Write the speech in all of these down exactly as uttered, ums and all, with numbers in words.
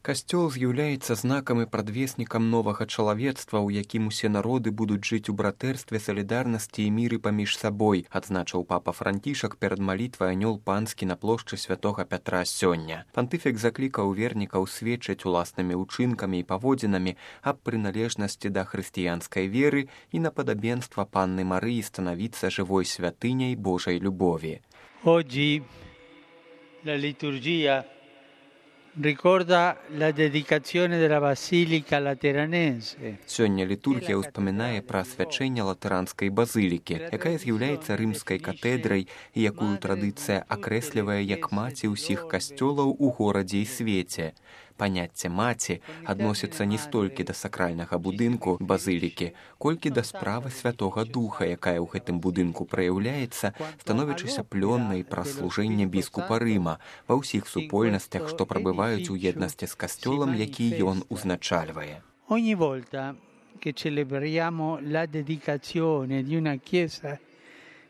Касцёл з'яўляецца знакам і прадвеснікам новага чалавецтва, у якім усе народы будуць жыць у братэрстве, салідарнасці і міры паміж сабой, адзначыў папа Францішак перад малітвай анёл панскі на плошчы святога Пятра сёння. Пантыфік заклікаў вернікаў сведчыць уласнымі ўчынкамі і паводзінамі аб прыналежнасці да хрысціянскай веры і на падабенства Панны Марыі станавіцца жывой святыняй Божай любові. Oggi la liturgia ricorda la dedicazione della Basilica Lateranense. Сёння літургія ўспамінае пра асвячэнне латаранскай базылікі, якая з'яўляецца рымскай катэдрай і якую традыцыя акрэслівае як маці ўсіх касцёлаў у горадзе і свеце. Паняцце маці адносіцца не столькі да сакральнага будынку базылікі, колькі да справы Святога Духа, якая ў гэтым будынку праяўляецца, становячыся плённай праз служэнне біскупа Рыма ва ўсіх супольнасцях, што прабываюць у еднасці з касцёлам, які ён узначальвае. Ogni volta che celebriamo la dedicazione di una chiesa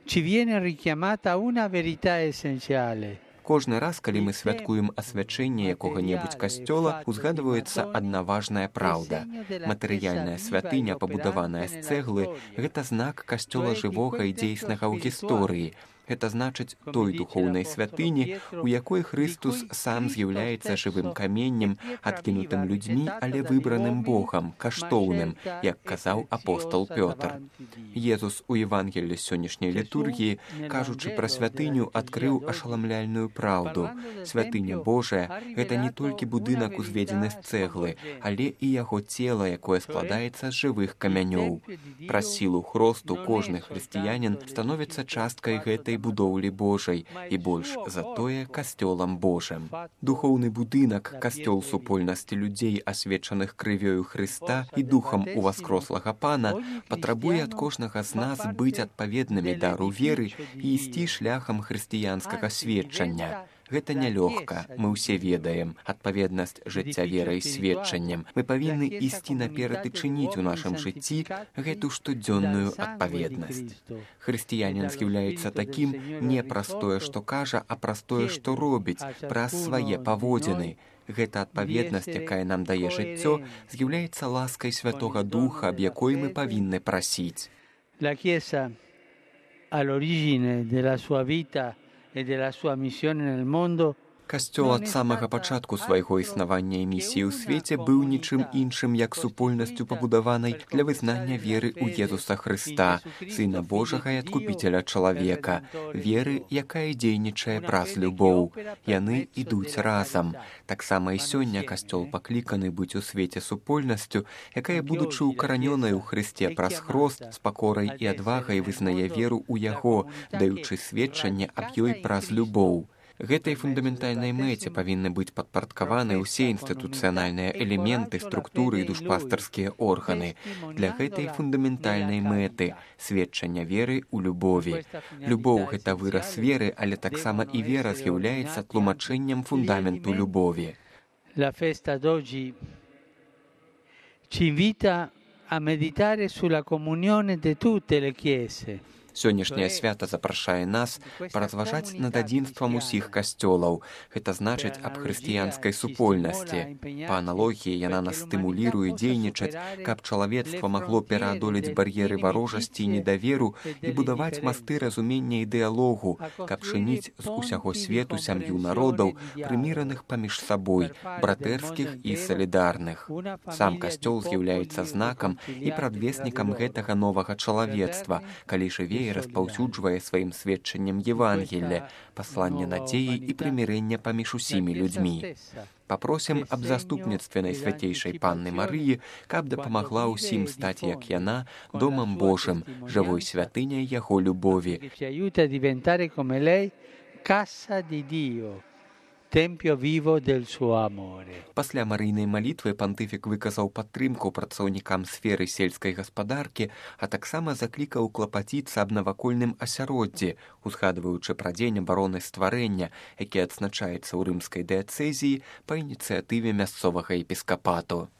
ci viene richiamata una verità essenziale. Кожны раз, калі мы святкуем асвячэнне якога-небудзь касцёла, узгадваецца адна важная праўда. Матэрыяльная святыня, пабудаваная з цэглы, гэта знак касцёла жывога і дзейснага ў гісторыі. Гэта значыць той духоўнай святыні, у якой Хрыстус сам з'яўляецца жывым каменнем, адкінутым людзьмі, але выбраным Богам, каштоўным, як казаў апостол Пётр. Езус у Евангеллі сённяшняй літургіі, кажучы пра святыню, адкрыў ашаламляльную праўду. Святыня Божая – гэта не толькі будынак, узведзены з цэглы, але і яго цела, якое складаецца з жывых камянёў. Праз сілу хросту кожны хрысціянін становіцца часткай гэтай будоўлі Божай і больш за тое касцёлам Божым. Духоўны будынак, касцёл супольнасці людзей, асвечаных крывёю Хрыста і духам уваскрослага Пана, патрабуе ад кожнага з нас быць адпаведнымі дару веры і ісці шляхам хрысціянскага сведчання. Гэта нялёгка, мы ўсе ведаем. Адпаведнасць жыцця верай і сведчаннем. Мы павінны ісці наперад і чыніць у нашым жыцці гэту штодзённую адпаведнасць. Хрысціянін з'яўляецца такім не праз тое, што кажа, а праз тое, што робіць, праз свае паводзіны. Гэта адпаведнасць, якая нам дае жыццё, з'яўляецца ласкай Святога Духа, аб якой мы павінны прасіць. La Chiesa all'origine della sua vita e della sua missione nel mondo. Касцёл ад самага пачатку свайго існавання і місіі ў свеце быў нічым іншым, як супольнасцю пабудаванай для вызнання веры ў Езуса Хрыста, Сына Божага і адкупіцеля чалавека, веры, якая дзейнічае праз любоў. Яны ідуць разам. Таксама і сёння касцёл пакліканы быць у свеце супольнасцю, якая, будучы укаранёнай у Хрысце праз хрост, з пакорай і адвагай вызнае веру ў Яго, даючы сведчанне аб ёй праз любоў. Гэтай фундаментальнай мэце павінны быць падпарадкаваны ўсе інстытуцыянальныя элементы, структуры і душпастарскія органы. Для гэтай фундаментальнай мэты сведчання веры ў любові. Любоў – гэта выраз веры, але таксама і вера з'яўляецца тлумачэннем фундаменту любові. La festa d'oggi ci invita a meditare sulla comunione di tutte le chiese. Сённяшняе свята запрашае нас паразважаць над адзінствам усіх касцёлаў. Гэта значыць аб хрысціянскай супольнасці. Па аналогіі яна нас стымуліруе дзейнічаць, каб чалавецтва магло пераадолець бар'еры варожасці і недаверу і будаваць масты разумення і дыялогу, каб чыніць з усяго свету сям'ю народаў, прыміраных паміж сабой, братэрскіх і салідарных. Сам касцёл з'яўляецца знакам і прадвеснікам гэтага новага чалавецтва, калі жыве і распаўсюджвае сваім сведчаннем Евангелля, пасланне надзеі і прымірэння паміж усімі людзьмі. Папросім аб заступніцтве Найсвяцейшай Панны Марыі, каб дапамагла ўсім стаць, як яна, домам Божым, жывой святыняй Яго любові. Tempio vivo del suo amore. Пасля марыйнай малітвы пантыфік выказаў падтрымку працаўнікам сферы сельскай гаспадаркі, а таксама заклікаў клапаціцца аб навакольным асяроддзі, узгадваючы пра дзень абароны стварэння, які адзначаецца ў рымскай дыяцэзіі па ініцыятыве мясцовага епіскапату.